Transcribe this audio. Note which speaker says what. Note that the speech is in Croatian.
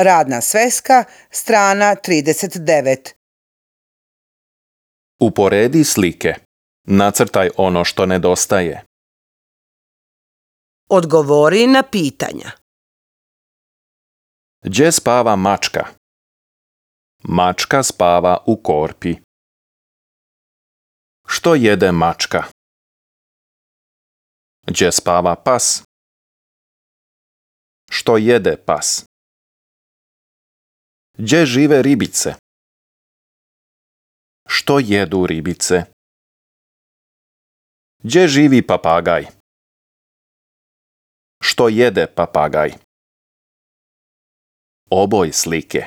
Speaker 1: Radna sveska, strana 39.
Speaker 2: Uporedi slike. Nacrtaj ono što nedostaje.
Speaker 1: Odgovori na pitanja.
Speaker 2: Gdje spava mačka? Mačka spava u korpi. Što jede mačka? Gdje spava pas? Što jede pas? Gdje žive ribice? Što jedu ribice? Gdje živi papagaj? Što jede papagaj? Oboj slike.